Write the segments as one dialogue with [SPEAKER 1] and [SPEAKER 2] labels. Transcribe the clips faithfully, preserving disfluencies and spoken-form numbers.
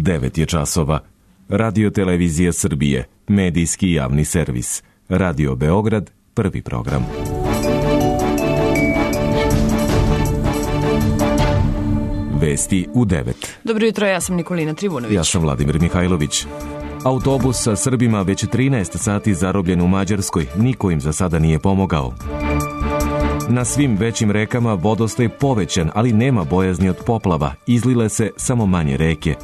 [SPEAKER 1] devet je časova. Radio Televizija Srbije, medijski javni servis. Radio Beograd, prvi program. Vesti u devet.
[SPEAKER 2] Dobro jutro, ja sam Nikolina Trivunović.
[SPEAKER 1] Ja sam Vladimir Mihajlović. Autobus sa Srbima već trinaest sati zarobljen u Mađarskoj, niko im za sada nije pomogao. Na svim većim rekama vodostaj povećan, ali nema bojazni od poplava, izlile se samo manje reke.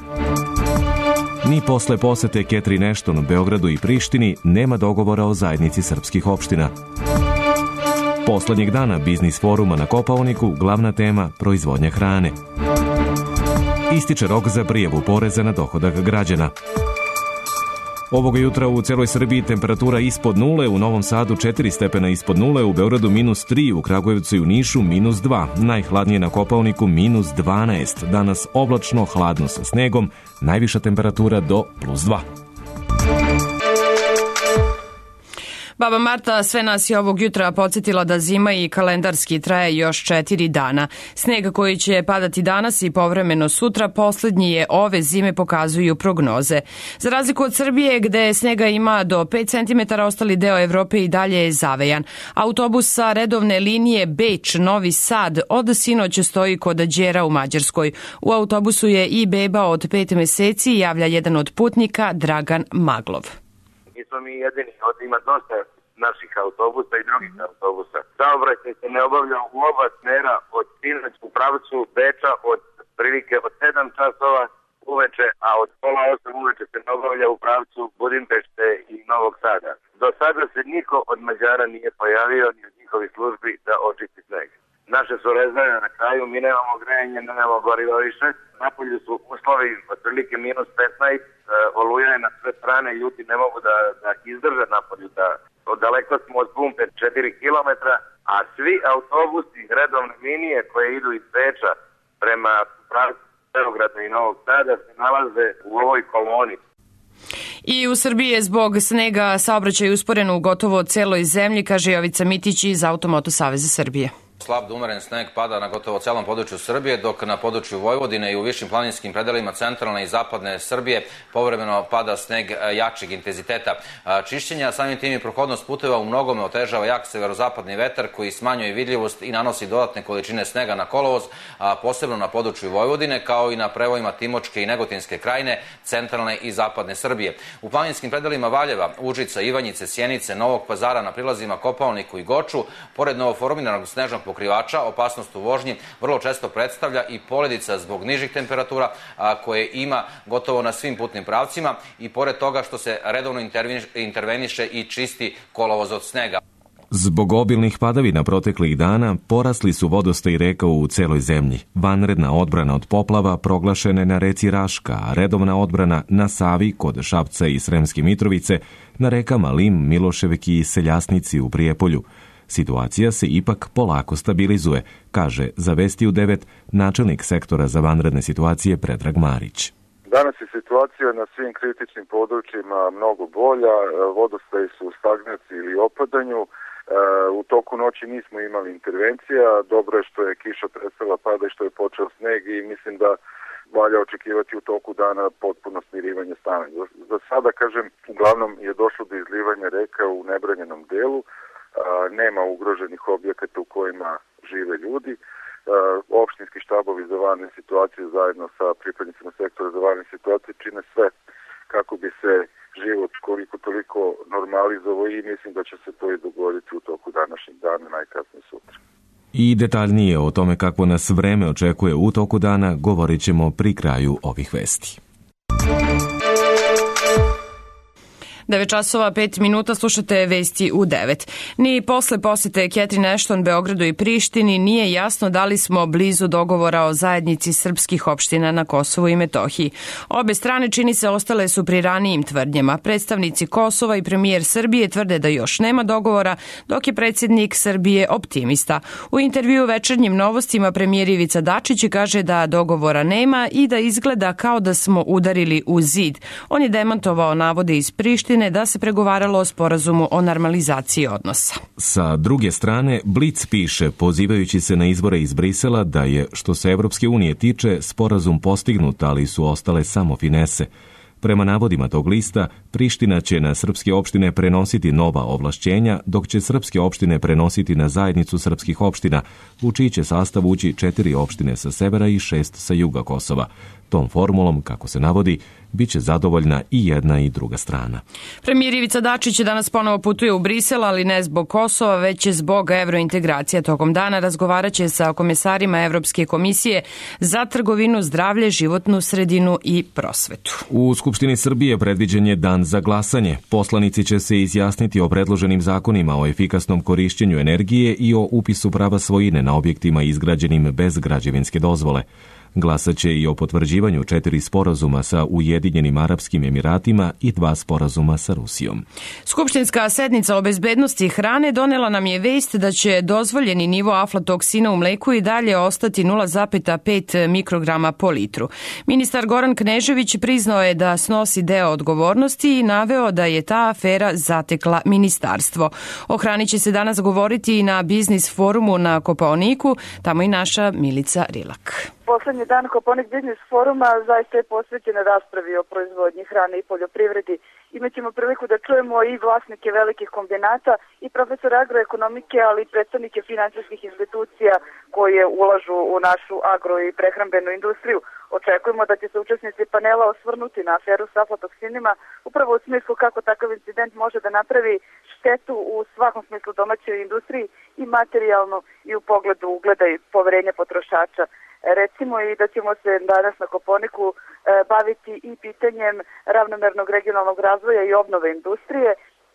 [SPEAKER 1] Ni posle posete Catherine Ashton u Beogradu i Prištini nema dogovora o zajednici srpskih opština. Poslednjeg dana biznis foruma na Kopaoniku, glavna tema proizvodnja hrane. Ističe rok za prijavu poreza na dohodak građana. Ovoga jutra u celoj Srbiji temperatura ispod nule, u Novom Sadu četiri stepena ispod nule, u Beogradu minus tri, u Kragujevcu i u Nišu minus dva, najhladnije na Kopaoniku minus dvanaest, danas oblačno, hladno sa snegom, najviša temperatura do plus dva.
[SPEAKER 2] Baba Marta sve nas je ovog jutra podsjetila da zima i kalendarski traje još četiri dana. Sneg koji će padati danas i povremeno sutra poslednji je ove zime, pokazuju prognoze. Za razliku od Srbije gde snega ima do pet centimetara, ostali deo Evrope i dalje je zavejan. Autobus sa redovne linije Beč-Novi Sad od sinoć stoji kod Đera u Mađarskoj. U autobusu je i beba od pet meseci, javlja jedan od putnika, Dragan Maglov.
[SPEAKER 3] Nismo mi jedini, ovdje ima dosta naših autobusa i drugih autobusa. Saobraćaj se ne obavlja u oba smera od sinoć u pravcu Beča od prilike od sedam časova uveče, a od pola osam uveče se ne obavlja u pravcu Budimpešte i Novog Sada. Do sada se niko od Mađara nije pojavio ni od njihovih službi da očisti sneg. Naše su rezerve na kraju, mi nemamo grejanje, nemamo goriva više. Napolju su uslovi otprilike minus petnaest, oluja je na sve strane, ljudi ne mogu da, da izdrže napolju, da daleko smo od pumpe četiri kilometra, a svi autobusi redovne linije koje idu iz Beča prema pravcu Beograda i Novog Sada se nalaze u ovoj koloni.
[SPEAKER 2] I u Srbiji je zbog snega saobraćaj usporen u gotovo celoj zemlji, kaže Jovica Mitić iz Automoto Saveza Srbije.
[SPEAKER 4] Slab do umeren sneg pada na gotovo celom području Srbije, dok na području Vojvodine i u višim planinskim predelima centralne i zapadne Srbije povremeno pada sneg jačeg intenziteta. Čišćenja, samim tim i prohodnost puteva u mnogome otežava jak severozapadni vetar koji smanjuje vidljivost i nanosi dodatne količine snega na kolovoz, a posebno na području Vojvodine, kao i na prevojima Timočke i Negotinske krajine, centralne i zapadne Srbije. U planinskim predelima Valjeva, Užica, Ivanjice, Sjenice, Novog Pazara, na prilazima Kopaoniku i Goču, pored novoformiranog snežnog pokrivača, opasnost u vožnji vrlo često predstavlja i poledica zbog nižih temperatura a, koje ima gotovo na svim putnim pravcima i pored toga što se redovno interveniše i čisti kolovoz od snega.
[SPEAKER 1] Zbog obilnih padavina proteklih dana porasli su vodostaj reka u celoj zemlji. Vanredna odbrana od poplava proglašena je na reci Raška, a redovna odbrana na Savi kod Šapca i Sremske Mitrovice, na rekama Lim, Miloševki i Seljasnici u Prijepolju. Situacija se ipak polako stabilizuje, kaže za Vesti u devet načelnik sektora za vanredne situacije Predrag Marić.
[SPEAKER 5] Danas je situacija na svim kritičnim područjima mnogo bolja, vodostaji su u stagnaciji ili opadanju. U toku noći nismo imali intervencija, dobro je što je kiša prestala pada i što je počeo sneg i mislim da valja očekivati u toku dana potpuno smirivanje stanja. Za sada, kažem, uglavnom je došlo do izlivanja reka u nebranjenom delu, nema ugroženih objekata u kojima žive ljudi. Opštinski štabovi za vanredne situacije zajedno sa pripadnicima sektora za vanredne situacije čine sve kako bi se život koliko toliko normalizovao i mislim da će se to i dogoditi u toku današnjeg dana, najkasnije sutra.
[SPEAKER 1] I detaljnije o tome kako nas vreme očekuje u toku dana govorit ćemo pri kraju ovih vesti.
[SPEAKER 2] devet časova pet minuta, slušate Vesti u devet. Ni posle posete Catherine Ashton Beogradu i Prištini nije jasno da li smo blizu dogovora o zajednici srpskih opština na Kosovu i Metohiji. Obe strane, čini se, ostale su pri ranijim tvrdnjama. Predstavnici Kosova i premijer Srbije tvrde da još nema dogovora, dok je predsjednik Srbije optimista. U intervju Večernjim novostima premijer Ivica Dačić kaže da dogovora nema i da izgleda kao da smo udarili u zid. On je demantovao navode iz Prištine opštine da se pregovaralo o sporazumu o normalizaciji odnosa.
[SPEAKER 1] Sa druge strane, Blic piše, pozivajući se na izbore iz Brisela, da je, što se Evropske unije tiče, sporazum postignut, ali su ostale samo finese. Prema navodima tog lista, Priština će na srpske opštine prenositi nova ovlašćenja, dok će srpske opštine prenositi na zajednicu srpskih opština, u čiji će sastav ući četiri opštine sa severa i šest sa juga Kosova. Tom formulom, kako se navodi, bit će zadovoljna i jedna i druga strana.
[SPEAKER 2] Premijer Ivica Dačić danas ponovo putuje u Brisel, ali ne zbog Kosova, već je zbog evrointegracija. Tokom dana razgovarat će sa komesarima Evropske komisije za trgovinu, zdravlje, životnu sredinu i prosvetu.
[SPEAKER 1] U Skupštini Srbije predviđen je dan za glasanje. Poslanici će se izjasniti o predloženim zakonima o efikasnom korišćenju energije i o upisu prava svojine na objektima izgrađenim bez građevinske dozvole. Glasaće i o potvrđivanju četiri sporazuma sa Ujedinjenim Arapskim Emiratima i dva sporazuma sa Rusijom.
[SPEAKER 2] Skupštinska sednica o bezbednosti hrane donela nam je vest da će dozvoljeni nivo aflatoksina u mleku i dalje ostati nula zarez pet mikrograma po litru. Ministar Goran Knežević priznao je da snosi deo odgovornosti i naveo da je ta afera zatekla ministarstvo. O hrani će se danas govoriti i na biznis forumu na Kopaoniku, tamo i naša Milica Rilak.
[SPEAKER 6] Poslednji dan Kopaonik biznis foruma zaista je posvećen raspravi o proizvodnji hrane i poljoprivredi. Imaćemo priliku da čujemo i vlasnike velikih kombinata i profesora agroekonomike, ali i predstavnike finansijskih institucija koje ulažu u našu agro i prehrambenu industriju. Očekujemo da će se učesnici panela osvrnuti na aferu s aflatoksinima, upravo u smislu kako takav incident može da napravi štetu u svakom smislu domaćoj industriji i materijalno i u pogledu ugleda i poverenja potrošača. Recimo i da ćemo se danas na Kopaoniku e, baviti i pitanjem ravnomernog regionalnog razvoja i obnove industrije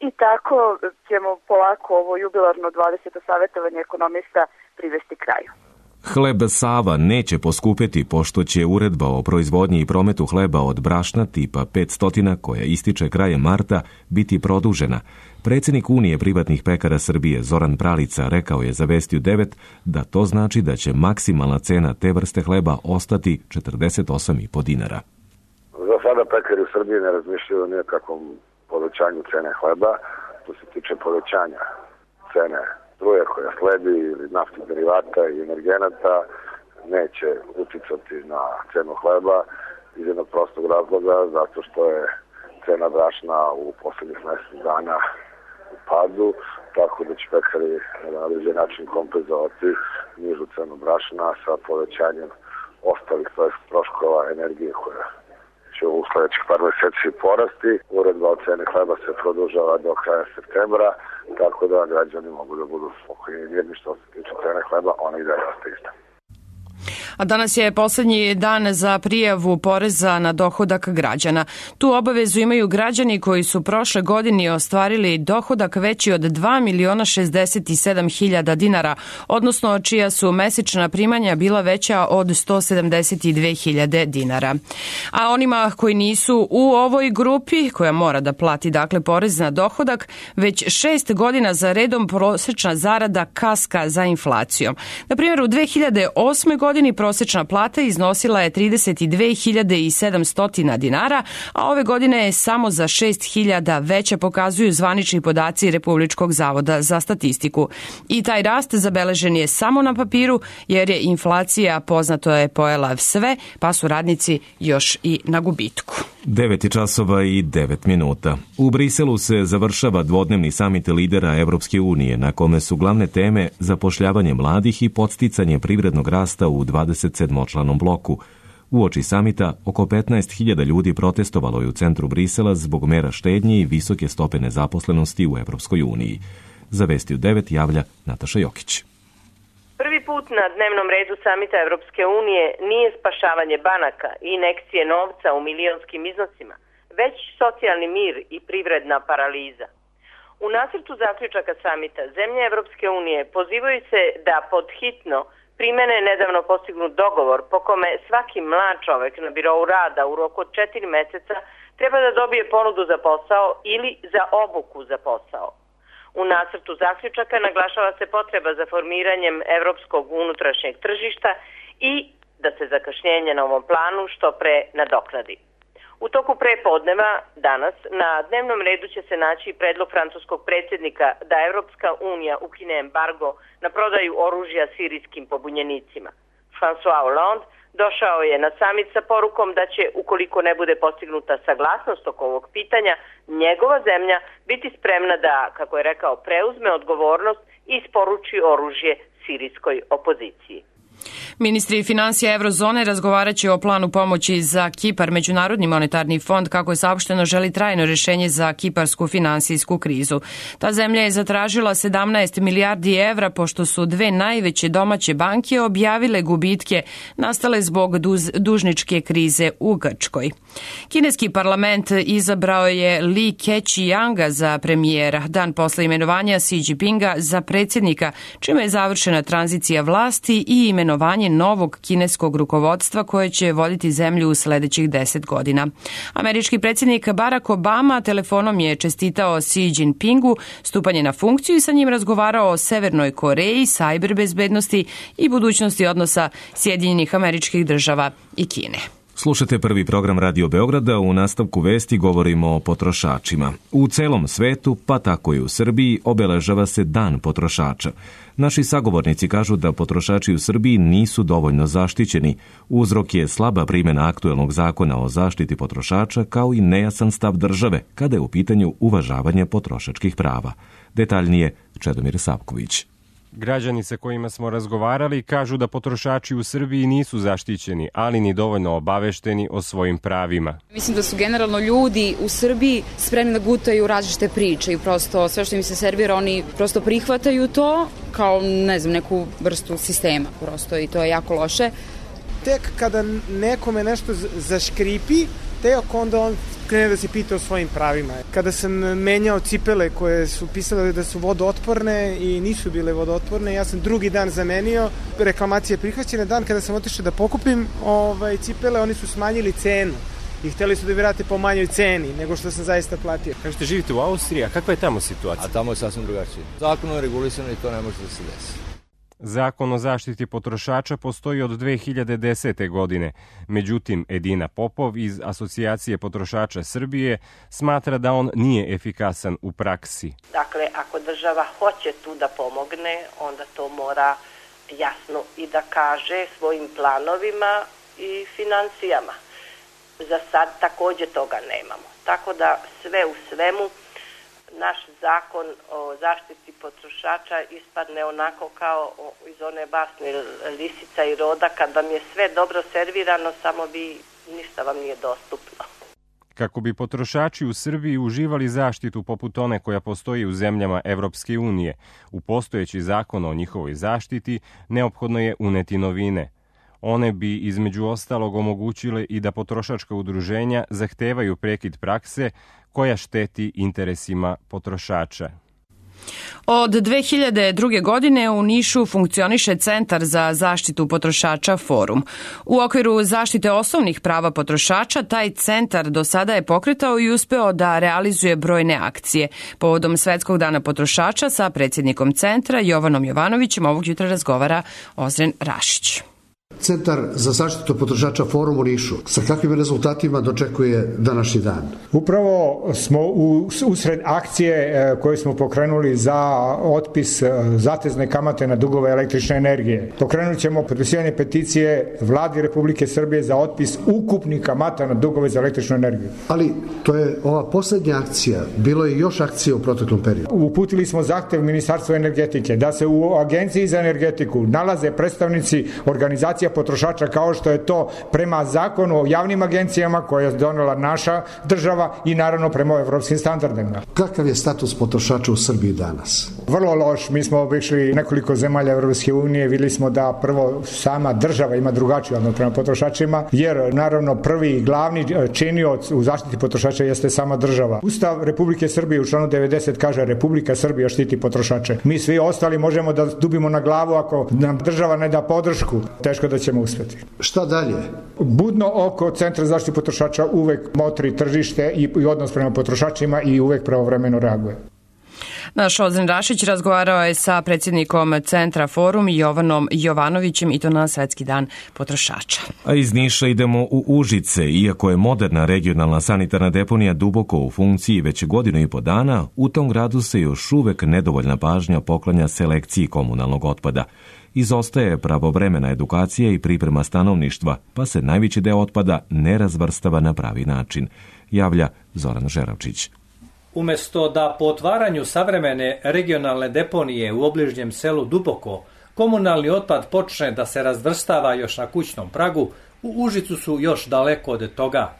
[SPEAKER 6] i tako ćemo polako ovo jubilarno dvadeseto savjetovanje ekonomista privesti kraju.
[SPEAKER 1] Hleb Sava neće poskupeti pošto će uredba o proizvodnji i prometu hleba od brašna tipa petsto koja ističe krajem marta biti produžena. Predsjednik Unije privatnih pekara Srbije Zoran Pralica rekao je za Vestiju devet da to znači da će maksimalna cena te vrste hleba ostati četrdeset osam i po dinara.
[SPEAKER 5] Za sada pekari u Srbiji ne razmišljaju o nijakakvom povećanju cene hleba. To se tiče povećanja cene struje koja sledi ili naftnih derivata i energenata neće uticati na cenu hleba iz jednog prostog razloga, zato što je cena brašna u poslednjih mesec dana u padu, tako da će pekari na određen način kompenzovati nižu cenu brašna sa povećanjem ostalih troškova energije koja će u sledećih par meseci porasti. Uredba o ceni hleba se produžava do kraja septembra, tako da građani mogu da budu spokojni i mirni što se tiče cene hleba, ona i dalje ostaje ista.
[SPEAKER 2] A danas je poslednji dan za prijavu poreza na dohodak građana. Tu obavezu imaju građani koji su prošle godine ostvarili dohodak veći od dva miliona šezdeset sedam hiljada dinara, odnosno čija su mesečna primanja bila veća od sto sedamdeset dve hiljade dinara. A onima koji nisu u ovoj grupi, koja mora da plati dakle porez na dohodak, već šest godina za redom prosečna zarada kaska za inflacijom. Na primjer, u dve hiljade osme godini prosečna plata iznosila je trideset dve hiljade sedamsto dinara, a ove godine je samo za šest hiljada veća, pokazuju zvanični podaci Republičkog zavoda za statistiku. I taj rast zabeležen je samo na papiru, jer je inflacija, poznato je, pojela sve, pa su radnici još i na gubitku.
[SPEAKER 1] devet časova i devet minuta. U Briselu se završava dvodnevni samit lidera Evropske unije, na kome su glavne teme zapošljavanje mladih i podsticanje privrednog rasta u dvadesetsedmočlanom bloku. Uoči samita, oko petnaest hiljada ljudi protestovalo je u centru Brisela zbog mera štednje i visoke stope nezaposlenosti u Evropskoj uniji. Za Vestiju devet javlja Nataša Jokić.
[SPEAKER 7] Prvi put na dnevnom redu samita Evropske unije nije spašavanje banaka i injekcije novca u milionskim iznosima, već socijalni mir i privredna paraliza. U nacrtu zaključaka samita zemlje Evropske unije pozivaju se da pod hitno primene nedavno postignut dogovor po kome svaki mlad čovek na birou rada u roku od četiri meseca treba da dobije ponudu za posao ili za obuku za posao. U nacrtu zaključaka naglašava se potreba za formiranjem evropskog unutrašnjeg tržišta i da se zakašnjenje na ovom planu što pre nadoknadi. U toku prepodneva danas na dnevnom redu će se naći predlog francuskog predsjednika da Evropska unija ukine embargo na prodaju oružja sirijskim pobunjenicima. François Hollande došao je na samit sa porukom da će, ukoliko ne bude postignuta saglasnost oko ovog pitanja, njegova zemlja biti spremna da, kako je rekao, preuzme odgovornost i isporuči oružje sirijskoj opoziciji.
[SPEAKER 2] Ministri financija Eurozone razgovaraće o planu pomoći za Kipar. Međunarodni monetarni fond, kako je saopšteno, želi trajno rješenje za kiparsku finansijsku krizu. Ta zemlja je zatražila sedamnaest milijardi evra pošto su dve najveće domaće banke objavile gubitke nastale zbog duz, dužničke krize u Grčkoj. Kineski parlament izabrao je Li Keqianga za premijera dan posle imenovanja Xi Jinpinga za predsjednika, čime je završena tranzicija vlasti i imenovanje novog kineskog rukovodstva koje će voditi zemlju u sledećih deset godina. Američki predsjednik Barack Obama telefonom je čestitao Xi Jinpingu stupanje na funkciju i sa njim razgovarao o Severnoj Koreji, sajber bezbednosti i budućnosti odnosa Sjedinjenih Američkih Država i Kine.
[SPEAKER 1] Slušate prvi program Radio Beograda, u nastavku vesti govorimo o potrošačima. U celom svetu, pa tako i u Srbiji, obeležava se Dan potrošača. Naši sagovornici kažu da potrošači u Srbiji nisu dovoljno zaštićeni. Uzrok je slaba primjena aktuelnog zakona o zaštiti potrošača kao i nejasan stav države kada je u pitanju uvažavanje potrošačkih prava. Detaljnije Čedomir Savković.
[SPEAKER 8] Građani sa kojima smo razgovarali kažu da potrošači u Srbiji nisu zaštićeni, ali ni dovoljno obavešteni o svojim pravima.
[SPEAKER 9] Mislim da su generalno ljudi u Srbiji spremni da gutaju različite priče i prosto sve što im se servira oni prosto prihvataju to kao, ne znam, neku vrstu sistema prosto i to je jako loše.
[SPEAKER 10] Tek kada nekome nešto zaškripi, tek onda on krene da se pita o svojim pravima. Kada sam menjao cipele koje su pisale da su vodootporne i nisu bile vodootporne, ja sam drugi dan zamenio, reklamacija je prihvaćena. Dan kada sam otišao da pokupim ovaj, cipele, oni su smanjili cenu i hteli su da mi vrate po manjoj ceni nego što sam zaista platio.
[SPEAKER 8] Kažete, živite u Austriji, a kakva je tamo situacija?
[SPEAKER 11] A tamo je sasvim drugačije. Zakonom je regulisano i to ne može da se desi.
[SPEAKER 8] Zakon o zaštiti potrošača postoji od dve hiljade desete. godine. Međutim, Edina Popov iz Asocijacije potrošača Srbije smatra da on nije efikasan u praksi.
[SPEAKER 7] Dakle, ako država hoće tu da pomogne, onda to mora jasno i da kaže svojim planovima i financijama. Za sad također toga nemamo. Tako da sve u svemu naš zakon o zaštiti potrošača ispadne onako kao iz one basne Lisica i Roda, kad vam je sve dobro servirano, samo vi ništa vam nije dostupno.
[SPEAKER 8] Kako bi potrošači u Srbiji uživali zaštitu poput one koja postoji u zemljama Evropske unije, u postojeći zakon o njihovoj zaštiti neophodno je uneti novine. One bi između ostalog omogućile i da potrošačka udruženja zahtevaju prekid prakse koja šteti interesima potrošača.
[SPEAKER 2] Od dve hiljade druge. godine u Nišu funkcioniše Centar za zaštitu potrošača Forum. U okviru zaštite osnovnih prava potrošača taj centar do sada je pokretao i uspeo da realizuje brojne akcije. Povodom Svetskog dana potrošača sa predsjednikom centra Jovanom Jovanovićem ovog jutra razgovara Ozren Rašić.
[SPEAKER 12] Centar za zaštitu potrošača Forum u Nišu. Sa kakvim rezultatima dočekuje današnji dan?
[SPEAKER 13] Upravo smo u, usred akcije koje smo pokrenuli za otpis zatezne kamate na dugove električne energije. Pokrenut ćemo potpisivanje peticije Vladi Republike Srbije za otpis ukupnih kamata na dugove za električnu energiju.
[SPEAKER 12] Ali to je ova posljednja akcija. Bilo je još akcije u proteklom periodu.
[SPEAKER 13] Uputili smo zahtev Ministarstvu energetike da se u Agenciji za energetiku nalaze predstavnici organizacija potrošača kao što je to prema zakonu o javnim agencijama koje je donela naša država i naravno prema evropskim standardima.
[SPEAKER 12] Kakav je status potrošača u Srbiji danas?
[SPEAKER 13] Vrlo loš. Mi smo obišli nekoliko zemalja Evropske unije, videli smo da prvo sama država ima drugačiji odnos prema potrošačima, jer naravno prvi i glavni činioc u zaštiti potrošača jeste sama država. Ustav Republike Srbije u članu devedeset kaže Republika Srbija štiti potrošače. Mi svi ostali možemo da dubimo na glavu ako nam država ne da podršku. Teško da ćemo uspjeti.
[SPEAKER 12] Šta dalje?
[SPEAKER 13] Budno oko Centra za zaštitu potrošača uvek motri tržište i odnos prema potrošačima i uvek pravovremeno reaguje.
[SPEAKER 2] Naš Ozren Rašić razgovarao je sa predsjednikom Centra Forum Jovanom Jovanovićem i to na Svetski dan potrošača.
[SPEAKER 1] A iz Niša idemo u Užice. Iako je moderna regionalna sanitarna deponija duboko u funkciji već godinu i po dana, u tom gradu se još uvek nedovoljna pažnja poklanja selekciji komunalnog otpada. Izostaje pravovremena edukacija i priprema stanovništva, pa se najveći deo otpada ne razvrstava na pravi način, javlja Zoran Žeravčić.
[SPEAKER 14] Umesto da po otvaranju savremene regionalne deponije u obližnjem selu Duboko komunalni otpad počne da se razvrstava još na kućnom pragu, u Užicu su još daleko od toga.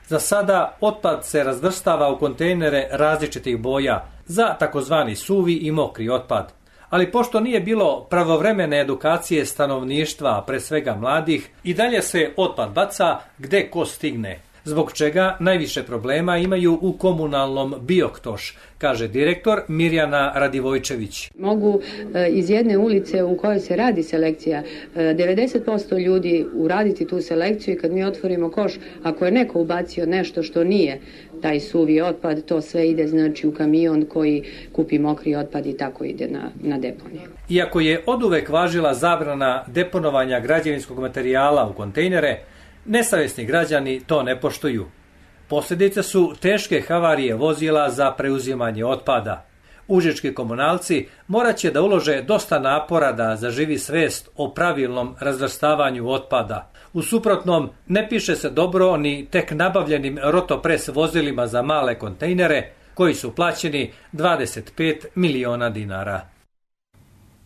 [SPEAKER 14] Za sada otpad se razvrstava u kontejnere različitih boja za takozvani suvi i mokri otpad. Ali pošto nije bilo pravovremene edukacije stanovništva, pre svega mladih, i dalje se otpad baca gde ko stigne, zbog čega najviše problema imaju u komunalnom Bioktoš, kaže direktor Mirjana Radivojčević.
[SPEAKER 15] Mogu iz jedne ulice u kojoj se radi selekcija devedeset posto ljudi uraditi tu selekciju i kad mi otvorimo koš, ako je neko ubacio nešto što nije taj suvi otpad, to sve ide znači u kamion koji kupi mokri otpad i tako ide na, na deponiju.
[SPEAKER 14] Iako je oduvek važila zabrana deponovanja građevinskog materijala u kontejnere, nesavjesni građani to ne poštuju. Posljedice su teške havarije vozila za preuzimanje otpada. Užički komunalci morat će da ulože dosta napora da zaživi svest o pravilnom razvrstavanju otpada. U suprotnom, ne piše se dobro ni tek nabavljenim rotopres vozilima za male kontejnere, koji su plaćeni dvadeset pet miliona dinara.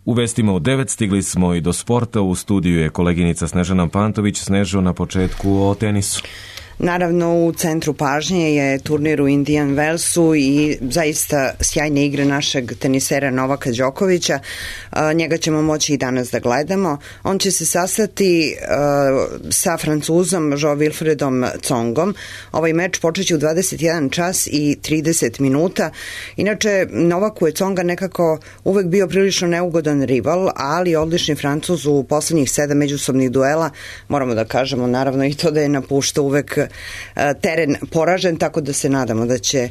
[SPEAKER 1] U vestima u devet stigli smo i do sporta. U studiju je koleginica Snežana Pantović. Snežo, na početku o tenisu.
[SPEAKER 16] Naravno, u centru pažnje je turnir u Indian Wellsu i zaista sjajne igre našeg tenisera Novaka Đokovića. Njega ćemo moći i danas da gledamo. On će se sastati sa Francuzom Jo Wilfredom Tsongom. Ovaj meč počeće u dvadeset jedan čas i trideset minuta. Inače, Novaku je Tsonga nekako uvek bio prilično neugodan rival, ali odlični Francuz u poslednjih sedam međusobnih duela. Moramo da kažemo naravno i to da je napuštao uvek teren poražen, tako da se nadamo da će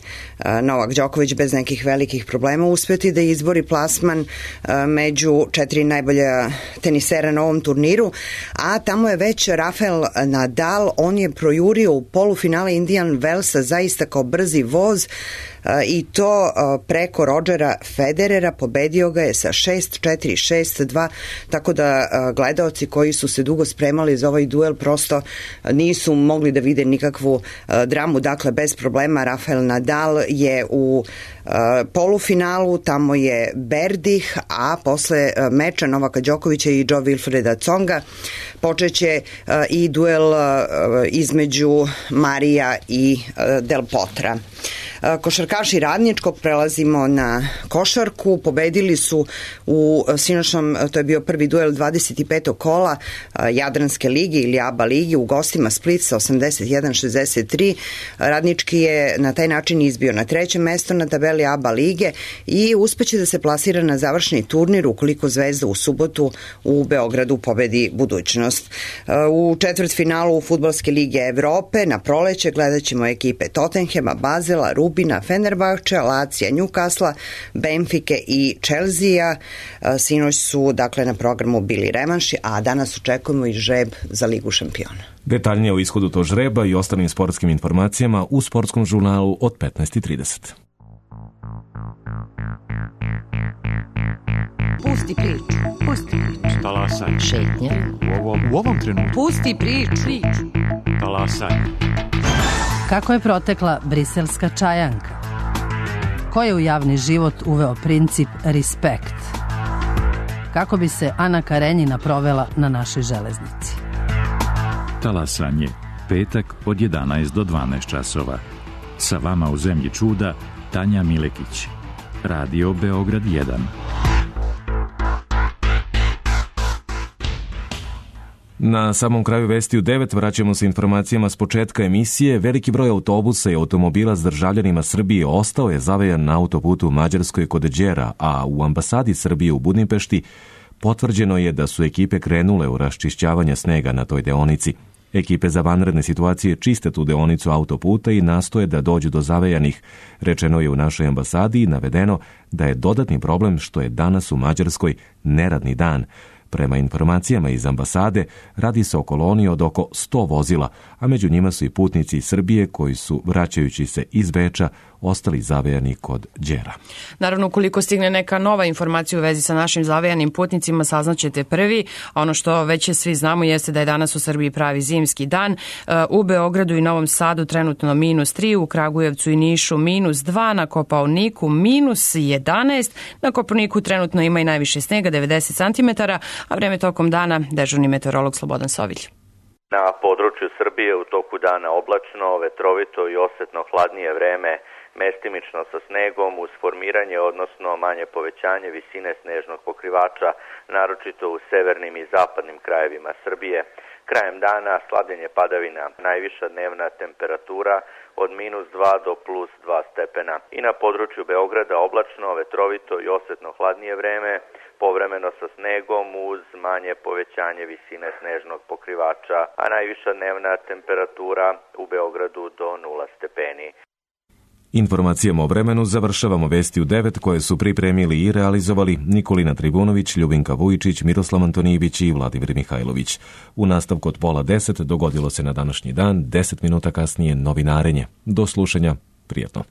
[SPEAKER 16] Novak Đoković bez nekih velikih problema uspjeti da izbori plasman među četiri najbolja tenisera na ovom turniru, a tamo je već Rafael Nadal, on je projurio u polufinale Indian Wellsa zaista kao brzi voz i to preko Rodgera Federera, pobedio ga je sa šest četiri, šest dva, tako da gledaoci koji su se dugo spremali za ovaj duel prosto nisu mogli da vide nikakvu dramu, dakle bez problema Rafael Nadal je u polufinalu, tamo je Berdih, a posle meča Novaka Đokovića i Jo Wilfreda Tsonga počeće i duel između Marija i Del Potra. Košarkaši Radničkog, prelazimo na košarku, pobedili su u sinoćnom, to je bio prvi duel dvadeset petog kola Jadranske lige ili A B A lige u gostima Split sa osamdeset jedan šezdeset tri. Radnički je na taj način izbio na treće mesto na tabeli A B A lige i uspeće da se plasira na završni turnir ukoliko Zvezda u subotu u Beogradu pobedi budućnost. U četvrtfinalu Fudbalske lige Evrope na proleće gledat ćemo ekipe Tottenhema, Bazela, Rubina, Fenerbahča, Lacija, Newcastle, Benfike i Chelsea. Sinoć su dakle na programu bili revanši, a danas očekujemo i žreb za Ligu šampiona.
[SPEAKER 1] Detaljnije o ishodu tog žreba i ostalim sportskim informacijama u sportskom žurnalu od petnaest i trideset.
[SPEAKER 17] Pusti priču, pusti priču.
[SPEAKER 18] Talasaj.
[SPEAKER 17] Šetnja.
[SPEAKER 18] U ovom, u ovom trenutku.
[SPEAKER 17] Pusti priču.
[SPEAKER 18] Talasaj.
[SPEAKER 17] Kako je protekla briselska čajanka? Ko je u javni život uveo princip respekt? Kako bi se Ana Karenjina provela na našoj železnici?
[SPEAKER 18] Talasanje. Petak od jedanaest do dvanaest časova. Sa vama u zemlji čuda Tanja Milekić. Radio Beograd jedan.
[SPEAKER 1] Na samom kraju vesti u devet vraćamo se informacijama s početka emisije. Veliki broj autobusa i automobila s državljanima Srbije ostao je zavejan na autoputu u Mađarskoj kod Đera, a u ambasadi Srbije u Budimpešti potvrđeno je da su ekipe krenule u raščišćavanje snega na toj deonici. Ekipe za vanredne situacije čiste tu deonicu autoputa i nastoje da dođu do zavejanih. Rečeno je u našoj ambasadi i navedeno da je dodatni problem što je danas u Mađarskoj neradni dan. Prema informacijama iz ambasade, radi se o koloniji od oko sto vozila, a među njima su i putnici iz Srbije koji su, vraćajući se iz Beča, ostali zavejani kod Đera.
[SPEAKER 2] Naravno, ukoliko stigne neka nova informacija u vezi sa našim zavejanim putnicima, saznaćete prvi. Ono što već svi znamo jeste da je danas u Srbiji pravi zimski dan. U Beogradu i Novom Sadu trenutno minus tri, u Kragujevcu i Nišu minus dva, na Kopaoniku minus jedanaest, na Kopaoniku trenutno ima i najviše snega, devedeset centimetara, a vreme tokom dana dežurni meteorolog Slobodan Sovilj.
[SPEAKER 19] Na području Srbije u toku dana oblačno, vetrovito i osetno hladnije vreme, mestimično sa snegom uz formiranje, odnosno manje povećanje visine snežnog pokrivača, naročito u severnim i zapadnim krajevima Srbije. Krajem dana slabljenje padavina, najviša dnevna temperatura od minus dva do plus dva stepena. I na području Beograda oblačno, vetrovito i osetno hladnije vreme, povremeno sa snegom uz manje povećanje visine snežnog pokrivača, a najviša dnevna temperatura u Beogradu do nula stepeni.
[SPEAKER 1] Informacijama o vremenu završavamo vesti u devet koje su pripremili i realizovali Nikolina Tribunović, Ljubinka Vujičić, Miroslav Antonijević i Vladimir Mihajlović. U nastavku od pola deset dogodilo se na današnji dan, deset minuta kasnije novinarenje. Do slušanja, prijatno.